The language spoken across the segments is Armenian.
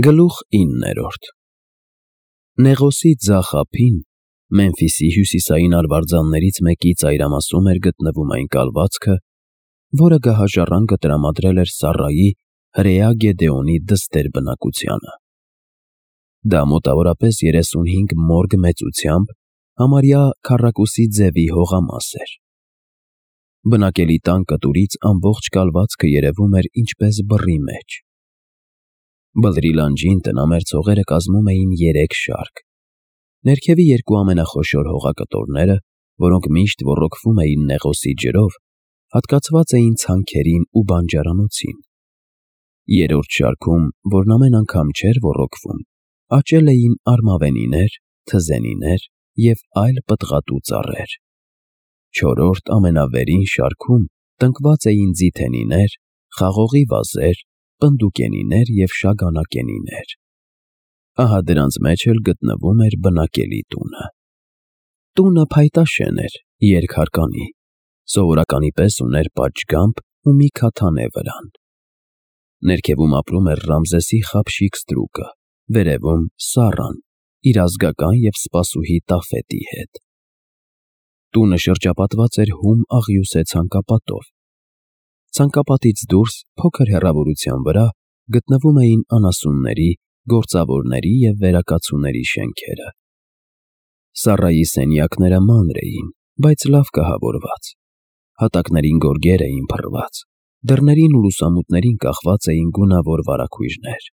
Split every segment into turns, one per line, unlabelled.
Գլուխ 9 Նեղոսի ձախ ափին, Մեմֆիսի հյուսիսային արվարձաններից մեկի ծայրամասում էր գտնվում այն կալվածքը, որը գահաժառանգը տրամադրել էր Սառայի հրեա Գեդեոնի դստեր բնակությանը։ Դա մոտավորապես 35 մորգ մեծությամբ, համարյա քառակուսի ձևի հողամաս էր։ Բնակելի տան կտուրից ամբողջ կալվածքը երևում էր ինչպես բռի մեջ։ Բլրի լանջին տնամերձ հողերը կազմում էին 3 շարք։ Ներքևի երկու ամենախոշոր հողակտորները, որոնք միշտ ոռոգվում էին Նեղոսի ջրով, հատկացված էին ցանքերին ու բանջարանոցին։ Երրորդ շարքում, որն ամեն անգամ չէր ոռոգվում, աճել էին արմավենիներ, թզենիներ և այլ պտղատու ծառեր։ Չորրորդ ամենավերին շարքում տնկված էին ձիթենիներ, խաղողի վազեր, պնդուկենիներ և շագանակենիներ։ Ահա դրանց մեջ էլ գտնվում էր բնակելի տունը։ Տունը փայտաշեն էր, երկհարկանի, սովորականի պես ուներ պատշգամբ ու մի քաթանե վրան։ Ներքևում ապրում էր Ռամզեսի խաբշիկ ստրուկը, վերևում՝ Սառան, իր ազգական և սպասուհի Տաֆետի հետ։ Տունը շրջապատված էր հում աղյուսե ցանկապատով։ Ցանկապատից դուրս, փոքր հեռավորության վրա, գտնվում էին անասունների, գործավորների և վերակացուների շենքերը։ Սառայի սենյակները մանր էին, բայց լավ կահավորված։ Հատակներին գորգեր էին փռված, դռներին ու լուսամուտներին կախված էին գունավոր վարագույրներ։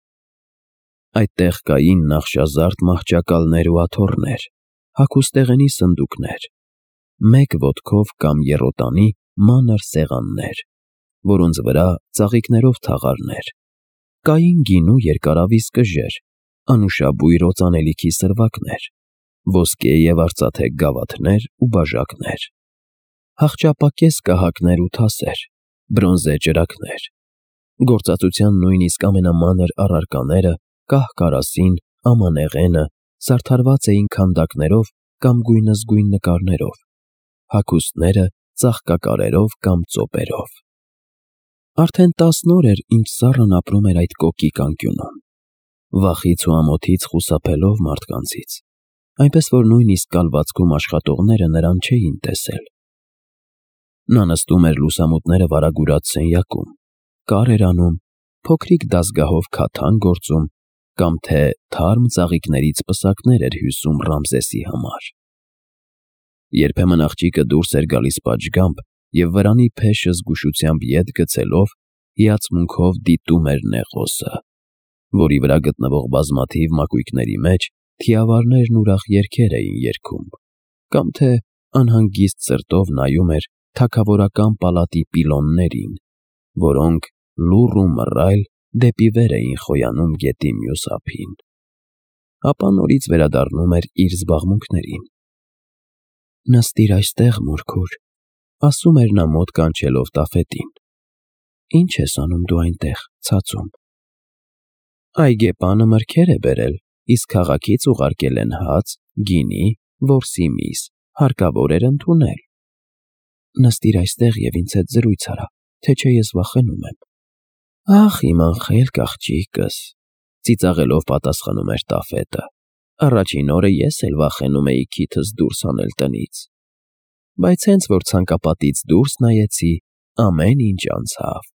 Այդտեղ կային նախշազարդ մահճակալներ ու աթոռներ, հագուստեղենի սնդուկներ, մեկ ոտքով կամ եռոտանի մանր սեղաններ, որոնց վրա ծաղիկներով թաղարներ, կային գինու երկարավիզ կժեր, անուշաբույր օծանելիքի սրվակներ, ոսկե և արծաթե գավաթներ ու բաժակներ, հախճապակես կահակներ ու թասեր, բրոնզե ճրագներ, գործածության նույնիսկ ամենամանր առարկաները, կահ֊կարասին, ամանեղենը զարդարված էին քանդակներով կամ գույնզգույն նկարներով, հագուստները ծաղկակարերով կամ ծոպերով։ Արդեն 10 օր էր, ինչ Սառան ապրում էր այդ կոկիկ անկյունում, վախից ու ամոթից խուսափելով մարդկանցից, այնպես որ նույնիսկ կալվածքում աշխատողները նրան չէին տեսել։ Նա նստում էր լուսամուտները վարագուրած սենյակում, կար էր անում, փոքրիկ դազգահով քաթան գործում կամ թե թարմ ծաղիկներից պսակներ էր հյուսում Ռամզեսի համար։ Երբեմն աղջիկը դուրս էր գալիս պատշգամբ և վրանի փեշը զգուշությամբ ետ գցելով հիացմունքով դիտում էր Նեղոսը, որի վրա գտնվող բազմաթիվ մակույկների մեջ թիավարներն ուրախ երգեր էին երգում, կամ թե անհանգիստ սրտով նայում էր թագավորական պալատի պիլոններին, որոնք լուռ ու մռայլ դեպի վեր էին խոյանում գետի մյուս ափին։ Ապա նորից վերադառնում էր իր զբաղմունքներին։ «Նստիր այստեղ, մորքուր», ասում էր նա մոտ կանչելով Տաֆետին։ «Ի՞նչ ես անում դու այնտեղ, ցածում»։ «Այգեպանը մրգեր է բերել, իսկ քաղաքից ուղարկել են հաց, գինի, որսի միս, հարկավոր էր ընդունել»։ «Նստիր այստեղ և ինձ հետ զրույց արա, թե չէ ես վախենում եմ»։ «Ախ, իմ անխելք աղջիկս», ծիծաղելով պատասխանում էր Տաֆետը, «առաջին օրը ես էլ վախենում էի քիթս դուրս հանել տնից, բայց հենց որ ցանկապատից դուրս նայեցի, ամեն ինչ անցավ։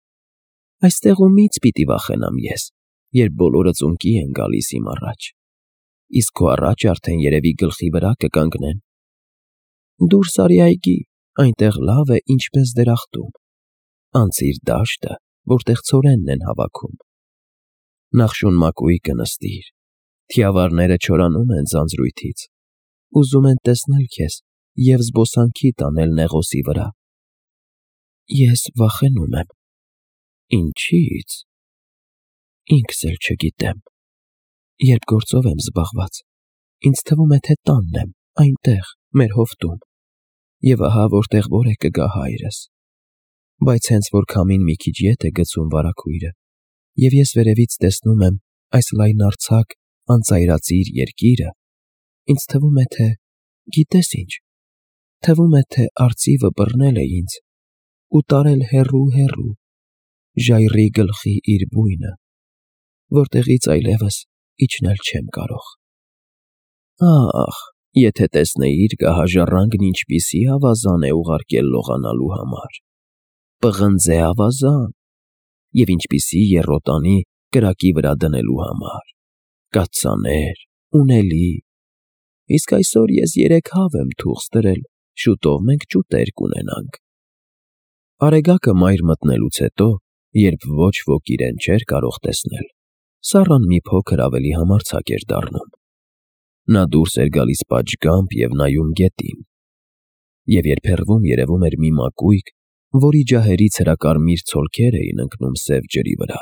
Այստեղումից պիտի վախենամ ես, երբ բոլորը ծունկի են գալիս իմ առաջ, իսկ քո առաջ արդեն երևի գլխի վրա կկանգնեն։ Դուրս արի այգի, այնտեղ լավ է ինչպես դրախտում, անցիր դաշտը, որտեղ ցորենն են հավաքում, նախշուն մակույկը նստիր, թիավարները չորանում են ձանձրույթից, ուզում են տեսնել քեզ և զբոսանքի տանել Նեղոսի վրա։ Ես վախենում եմ։ Ինչի՞ց։ Ինքս էլ չգիտեմ։ Երբ գործով եմ զբաղված, ինձ թվում է, թե տանն եմ, այնտեղ, մեր հովտում, և ահա որտեղ որ է կգա հայրս։ Բայց հենց որ քամին մի քիչ ետ է գցում վարագույրը, և ես վերևից տեսնում եմ այս լայնարձակ, անծայրածիր երկիրը, ինձ թվում է, թե, գիտես ինչ, թվում է, թե արծիվը բռնել է ինձ ու տարել հեռու, ժայռի գլխի իր բույնը, որտեղից այլևս իջնել չեմ կարող։ Ախ, եթե տեսնեիր գահաժառանգն ինչպիսի ավազան է ուղարկել լողանալու համար, պղնձե ավազան, և ինչպիսի եռոտանի կրակի վրա դնելու համար, կաթսաներ, ունելի, իսկ այսօր ես 3 հավ եմ թուղթ ստրել, շուտով մենք ճուտեր կունենանք։ Արեգակը մայր մտնելուց հետո, երբ ոչ ոք իրեն չէր կարող տեսնել, Սառան մի փոքր ավելի համարձակ էր դառնում։ Նա դուրս էր գալիս պատշգամբ և նայում գետին, և երբ հեռվում երևում էր մի մակույկ, որի ջահերից հրակարմիր ցոլքեր էին ընկնում սև ջրի վրա,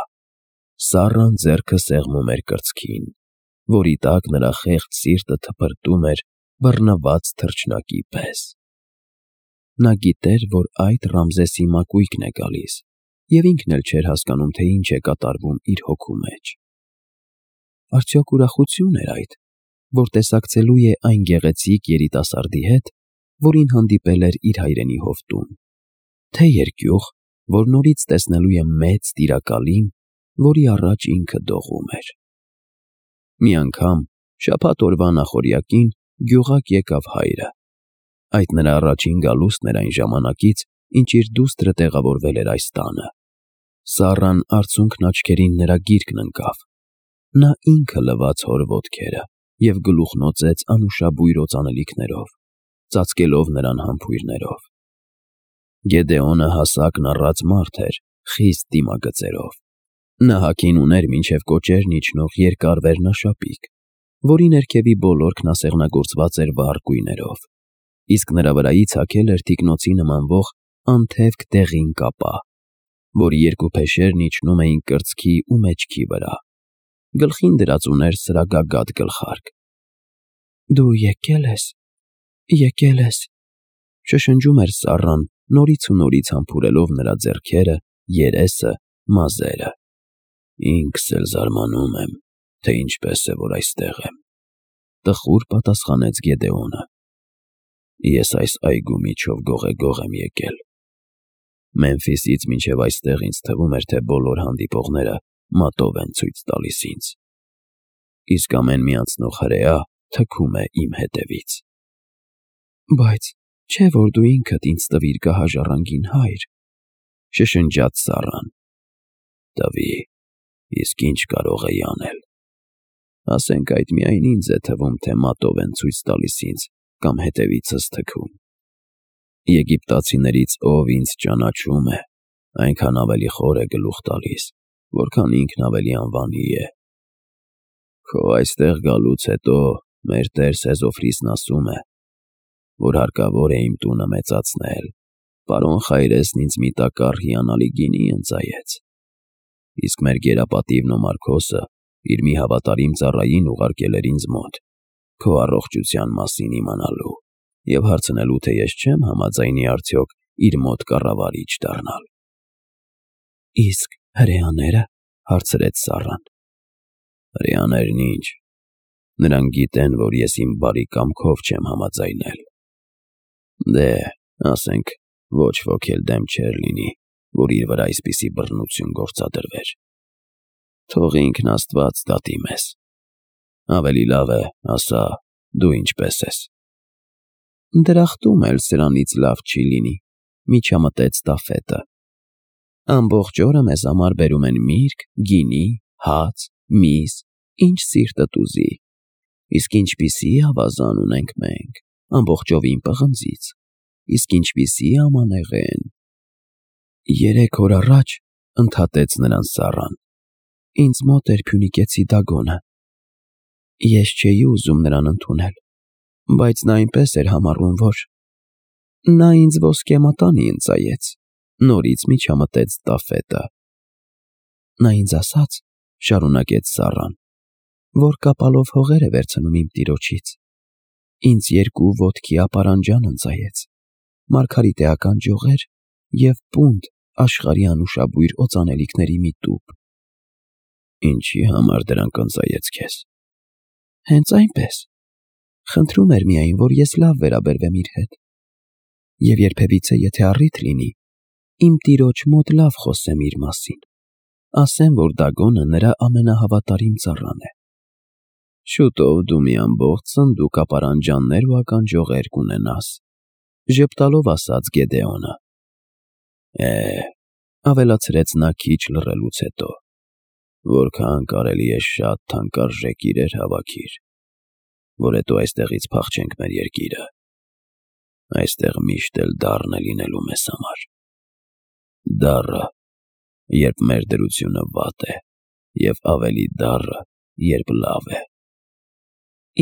Սառան ձեռքը սեղմում էր կրծքին, որի տակ նրա խեղճ սիրտը թպրտում էր բռնված թռչնակի պես։ Նա գիտեր, որ այդ Ռամզեսի մակույկն է գալիս, և ինքն էլ չէր հասկանում, թե ինչ է կատարվում իր հոգու մեջ։ Արդյոք ուրախություն էր այդ, որ տեսակցելու է այն գեղեցիկ երիտասարդի հետ, որին հանդիպել էր իր հայրենի հովտում, թե երկյուղ, որ նորից տեսնելու է մեծ տիրակալին, որի առաջ ինքը դողում էր։ Մի անգամ շաբաթ օրվա նախօրյակին գյուղակ եկավ հայրը։ Այդ նրա առաջին գալուստն էր այն ժամանակից, ինչ իր դուստրը տեղավորվել էր այս տանը։ Սառան արցունքն աչքերին նրա գիրկն ընկավ։ Նա ինքը լվաց հոր ոտքերը և գլուխնոծեց անուշաբույր օծանելիքներով, ծածկելով նրան համբույրներով։ Գեդեոնը հասակն առած մարդ էր, խիստ դիմագծերով։ Նա հագին ուներ մինչև կոճերն իջնող երկար վերնաշապիկ, որի ներքևի բոլորքն ասեղնագործված էր վառ գույներով, իսկ նրա վրայից հագել էր թիկնոցի նմանվող անթևք դեղին կապա, որի երկու փեշերն իջնում էին կրծքի ու մեջքի վրա։ Գլխին դրած ուներ սրագագաթ գլխարկ։ «Դու եկել ես», շշնջում էր Սառան, նորից ու նորից համբուրելով նրա ձեռքերը, երեսը, մազերը։ «Ինքս էլ զարմանում եմ, թե ինչպես է, որ այստեղ եմ», տխուր պատասխանեց Գեդեոնը։ «Ես այս այգու միջով գողեգող եմ եկել։ Մեմֆիսից մինչև այստեղ ինձ թվում էր, թե բոլոր հանդիպողները մատով են ցույց տալիս ինձ, իսկ ամեն մի անցնող հրեա թքում է իմ հետևից»։ «Բայց չէ՞ որ դու ինքդ ինձ տվիր գահաժառանգին, հայր», շշնջաց Սառան։ «Տվի, իսկ ինչ կարող էի անել։ Ասենք այդ միայն ինձ է թվում, թե մատով են ցույց տալիս ինձ կամ հետևիցս թքում։ Եգիպտացիներից ով ինձ ճանաչում է, այնքան ավելի խոր է գլուխ տալիս, որքան ինքն ավելի անվանի է։ Քո այստեղ գալուց հետո մեր տեր Սեզոֆրիսն ասում է, որ հարկավոր է իմ տունը մեծացնել։ Պարոն Խայրեսն ինձ մի տակառ հիանալի գինի ընծայեց, իսկ մեր գերապատիվ Նոմարքոսը իր մի հավատարիմ ծառային ուղարկել էր ինձ մոտ, քո առողջության մասին իմանալու և հարցնելու, թե ես չեմ համաձայնի արդյոք իր մոտ կառավարիչ դառնալ։ «Իսկ հրեաները», հարցրեց Սառան։ «Հրեաներն ինչ, նրանք գիտեն, որ ես իմ բարի կամքով չեմ համաձայնել։ Դե, ասենք, ոչ ոք էլ դեմ չէր լինի, որ իր վրա այսպիսի բռնություն գործադրվեր։ Թող ինքն Աստված դատի մեզ։ Ավելի լավ է, ասա, դու ինչպես ես»։ «Դրախտում էլ սրանից լավ չի լինի», միջամտեց Տաֆետը։ «Ամբողջ օրը մեզ համար բերում են միրգ, գինի, հաց, միս, ինչ սիրտդ ուզի, իսկ ինչպիսի ավազան ունենք մենք, ամբողջովին պղնձից, իսկ ինչպիսի ամանեղեն»։ 3 օր առաջ, ընդհատեց նրան Սառան, ինձ մոտ էր Փյունիկեցի Դագոնը։ Ես չէի ուզում նրան ընդունել, բայց նա այնպես էր համառում, որ… Նա ինձ ոսկե մատանի ընծայեց, նորից միջամտեց Տաֆետը։ Նա ինձ ասաց, շարունակեց Սառան, որ կապալով հողեր է վերցնում իմ տիրոջից։ Ինձ 2 ոտքի ապարանջան ընծայեց, մարգարիտեական ջողեր և պունդ աշխարհի անուշաբույր օծանելիքների մի տուփ։ Ինչի համար դրանք ընծայեց քեզ։ Հենց այնպես։ Խնդրում էր միայն, որ ես լավ վերաբերվեմ իր հետ։ Եվ երբևիցե, եթե առիթ լինի, իմ տիրոջ մոտ լավ խոսեմ իր մասին։ ասեմ, որ Դագոնը նրա ամենահավատարիմ ծառան է։ Շուտով դու մի ամբողջ սնդուկ ապարանջաններ ու ականջողեր կունենաս, ժպտալով ասաց Գեդեոնը։ Ավելացրեց նա քիչ լռելուց հետո, որքան կարելի է շատ թանկարժեք իրեր հավաքիր, որ հետո այստեղից փախչենք մեր երկիրը։ Այստեղ միշտ էլ դառն է լինելու մեզ համար։ Դառը, երբ մեր դրությունը վատ է, և ավելի դառը, երբ լավ է։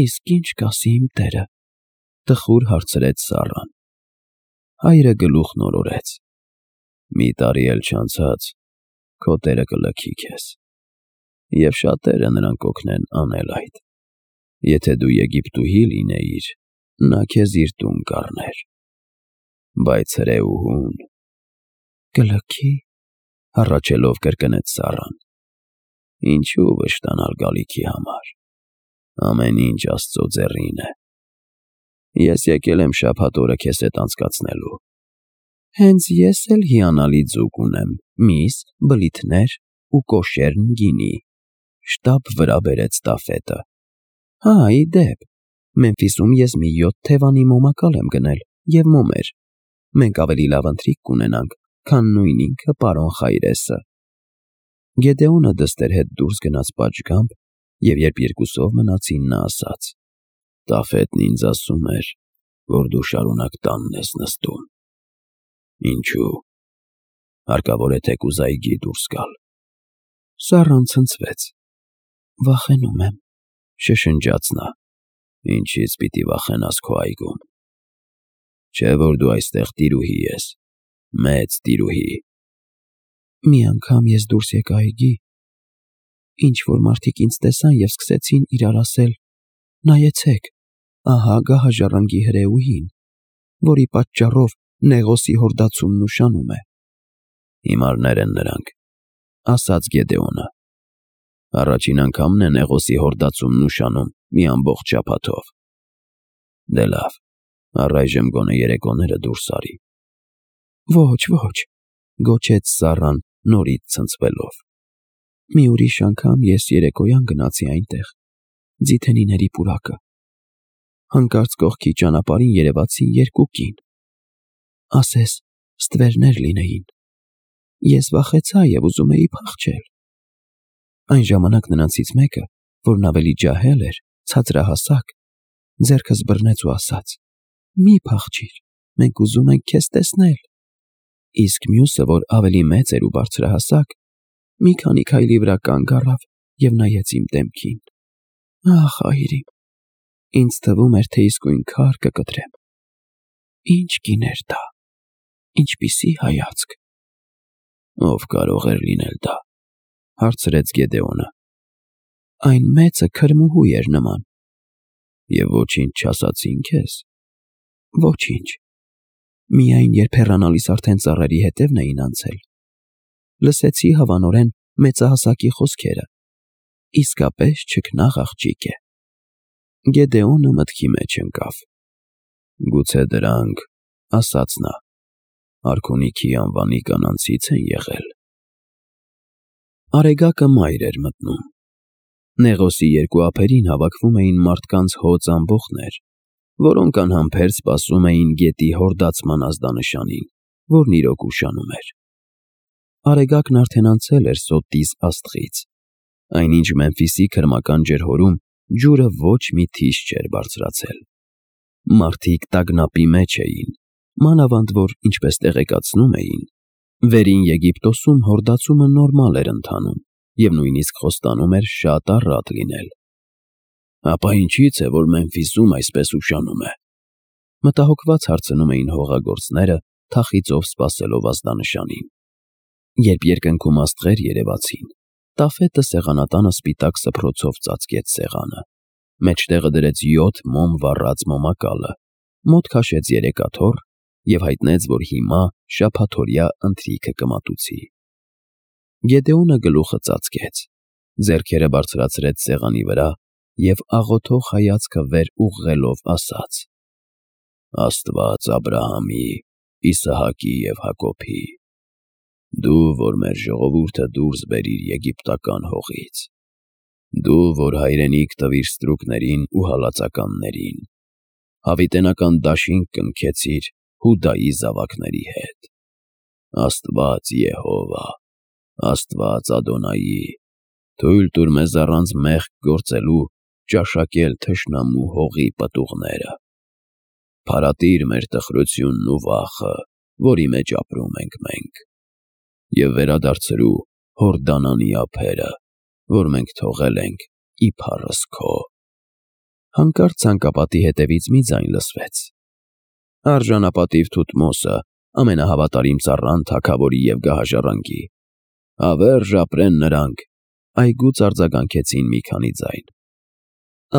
Իսկ ինչ կասի իմ տերը, տխուր հարցրեց Սառան։ Հայրը գլուխն օրորեց։ Մի տարի էլ չանցած, քո տերը կլքի քեզ, և շատերը նրան կօգնեն անել այդ։ Եթե դու Եգիպտուհի լինեիր, նա քեզ իր տուն կառներ, բայց հրեուհուն… Կլքի, հառաչելով կրկնեց Սառան։ Ինչու վշտանալ գալիքի համար, ամեն ինչ Աստծո ձեռին է։ Ես եկել եմ շաբաթ օրը քեզ հետ անցկացնելու։ Հենց ես էլ հիանալի ձուկ ունեմ, միս, բլիթներ ու կոշերն գինի, շտապ վրա բերեց Տաֆետը։ Հա, ի դեպ, Մեմֆիսում ես մի 7 թևանի մոմակալ եմ գնել և մոմեր։ Մենք ավելի լավ ընթրիք կունենանք, քան նույն ինքը պարոն Խայրեսը։ Գեդեոնը դստեր հետ դուրս գնաց պատշգամբ, և երբ երկուսով մնացին, նա ասաց. Տաֆետն ինձ ասում էր, որ դու շարունակ տանն ես նստում։ Ինչու՞։ Հարկավոր է թեկուզայգի դուրս գալ։ Սառան ցնցվեց։ Վախենում եմ, շշնջաց նա։ Ինչից պիտի վախենաս քո այգում։ Չէ՞ որ դու այստեղ տիրուհի ես, մեծ տիրուհի։ Մի անգամ ես դուրս եկա այգի, ինչ-որ մարդիկ ինձ տեսան և սկսեցին իրար ասել. նայեցեք, ահա գահաժառանգի հրեուհին, որի պատճառով Նեղոսի հորդացումն ուշանում է։ Հիմարներ են նրանք, ասաց Գեդեոնը։ Առաջին անգամն է Նեղոսի հորդացումն ուշանում մի ամբողջ շաբաթով։ Դե լավ, առայժմ գոնե երեկոները դուրս արի։ Ոչ, գոչեց Սառան նորից ցնցվելով։ Մի ուրիշ անգամ ես երեկոյան գնացի այնտեղ, Ձիթենիների պուրակը։ Հանկարծ կողքի ճանապարհին երևացին 2 կին։ Ասես ստվերներ լինեին։ Ես վախեցա և ուզում էի փախչել։ Այն ժամանակ նրանցից մեկը, որն ավելի ջահել էր, ցածրահասակ, ձեռքս բռնեց ու ասաց. մի փախչիր, մենք ուզում ենք քեզ տեսնել։ Իսկ մյուսը, որ ավելի մեծ էր ու բարձրահասակ, մի քանի քայլի վրա կանգ առավ և նայեց իմ դեմքին։ Ախ, հայրիկ, ինձ թվում էր, թե իսկույն քար կկտրեմ։ Ինչ կին էր դա, ինչպիսի հայացք։ Ով կարող էր լինել դա, հարցրեց Գեդեոնը։ Այն մեծը քրմուհու էր նման։ Եվ ոչինչ չասացին քեզ։ Ոչինչ։ Միայն երբ հեռանալիս արդեն ծառերի հետևն էին անցել, լսեցի հավանորեն մեծահասակի խոսքերը. իսկապես չքնաղ աղջիկ է։ Գեդեոնը մտքի մեջ ընկավ։ Գուցե դրանք, ասաց նա, արքունիքի անվանի կանանցից են եղել։ Արեգակը մայր էր մտնում։ Նեղոսի 2 ափերին հավաքվում էին մարդկանց հոծ ամբոխներ, որոնք անհամբեր սպասում էին գետի հորդացման ազդանշանին, որն իրոք ուշանում էր։ Արեգակն արդեն անցել էր Սոտիս աստղից, այնինչ Մեմֆիսի քրմական ջրհորում ջուրը ոչ մի թիշ չէր բարձրացել։ Մարդիկ տագնապի մեջ էին, մանավանդ որ, ինչպես տեղեկացնում էին, Վերին Եգիպտոսում հորդացումը նորմալ էր ընթանում և նույնիսկ խոստանում էր շատ առատ լինել։ Ապա ինչի՞ց է, որ Մեմֆիսում այսպես ուշանում է։ Մտահոգված հարցնում էին հողագործները, թախիծով սպասելով ազդանշանին։ Երբ երկնքում աստղեր երևացին, Տաֆետը սեղանատանը սպիտակ սփռոցով ծածկեց սեղանը, մեջտեղը դրեց 7 մոմ վառած մոմակալը, մոտ քաշեց 3 աթոռ և հայտնեց, որ հիմա շաբաթօրյա ընթրիքը կմատուցի։ Գեդեոնը գլուխը ծածկեց, ձեռքերը բարձրացրեց սեղանի վրա և աղոթող հայացքը վեր ուղղելով ասաց. Աստված Աբրահամի, Իսահակի և Հակոբի, Դու, որ մեր ժողովուրդը դուրս բերիր եգիպտական հողից, դու, որ հայրենիք տվիր ստրուկներին ու հալածականներին, հավիտենական դաշինք կնքեցիր Հուդայի զավակների հետ։ Աստված Եհովա, Աստված Ադոնայի, թույլ տուր մեզ առանց մեղք գործելու ճաշակել թշնամու հողի պտուղները։ Փարատիր մեր տխրությունն ու վախը, որի մեջ ապրում ենք մենք, և վերադարձրու Հորդանանի ափերը, որ մենք թողել ենք իբարս քո։ Հանկարծ ցանկապատի հետևից մի ձայն լսվեց. Արժանապատիվ Թութմոսը, ամենահավատարիմ ծառան թագավորի և գահաժառանգի, հավերժ ապրեն նրանք, այգուց արձագանքեցին մի քանի ձայն։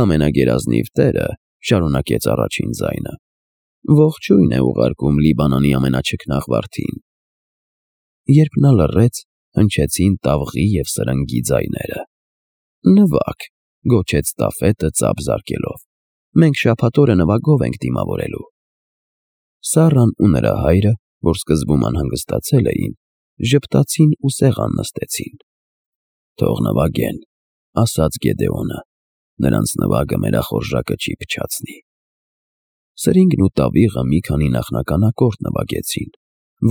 Ամենագերազնիվ Տերը, շարունակեց առաջին ձայնը, ողջույն է ուղարկում Լիբանանի ամենաչքնաղ վարդին։ Երբ նա լռեց, հնչեցին տավղի և սրնգի ձայները։ Նվագ, գոչեց Տաֆետը ծափ զարկելով, մենք շաբաթ օրը նվագով ենք դիմավորելու։ Սառան ու նրա հայրը, որ սկզբում անհանգստացել էին, ժպտացին ու սեղան նստեցին։ Թող նվագեն, ասաց Գեդեոնը, նրանց նվագը մերախորժակը չի փչացնի։ Սրինգն ու տավիղը մի քանի նախնական ակորդ նվագեցին,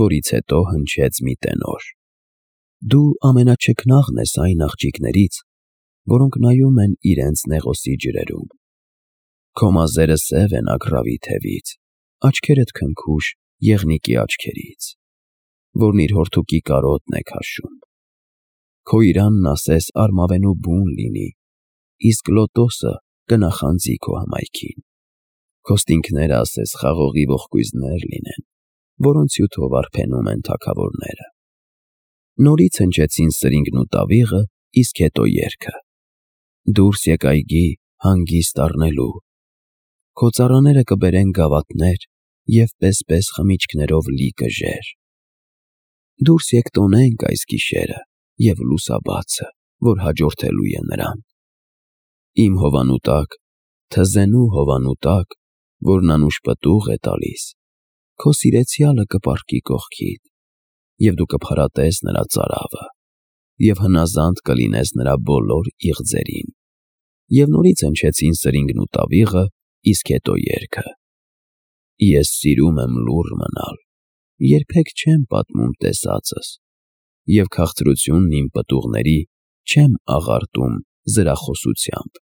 որից հետո հնչեց մի տենոր. Դու ամենաչքնաղն ես այն աղջիկներից, որոնք նայում են իրենց նեղոսի ջրերում։ Քո մազերը սև են ագռավի թևից, աչքերդ քնքուշ եղնիկի աչքերից, որն իր հորթուկի կարոտն է քաշում։ Քո իրանն ասես արմավենու բուն լինի, իսկ լոտոսը կնախանձի քո հմայքին։ Քո ստինքները ասես խաղողի ողկույզներ լինեն, որոնց հյութով արբենում են թագավորները։ Նորից հնչեցին սրինգն ու տավիղը, իսկ հետո երգը. Դուրս եկ այգի հանգիստ առնելու, քո ծառաները կբերեն գավաթներ և պես-պես խմիչքներով լի կժեր։ Դուրս եկ տոնենք այս գիշերը և լուսաբացը, որ հաջորդելու է նրան։ Իմ հովանու տակ, թզենու հովանու տակ, որն անուշ պտուղ է տալիս, քո սիրեցյալը կպառկի կողքիդ, և դու կփարատես նրա ծարավը, և հնազանդ կլինես նրա բոլոր իղձերին։ Եվ նորից հնչեցին սրինգն ու տավիղը, իսկ հետո երգը. Ես սիրում եմ լուռ մնալ, երբեք չեմ պատմում տեսածս, և քաղցրությունն իմ պտուղների չեմ աղարտում զրախոսությամբ։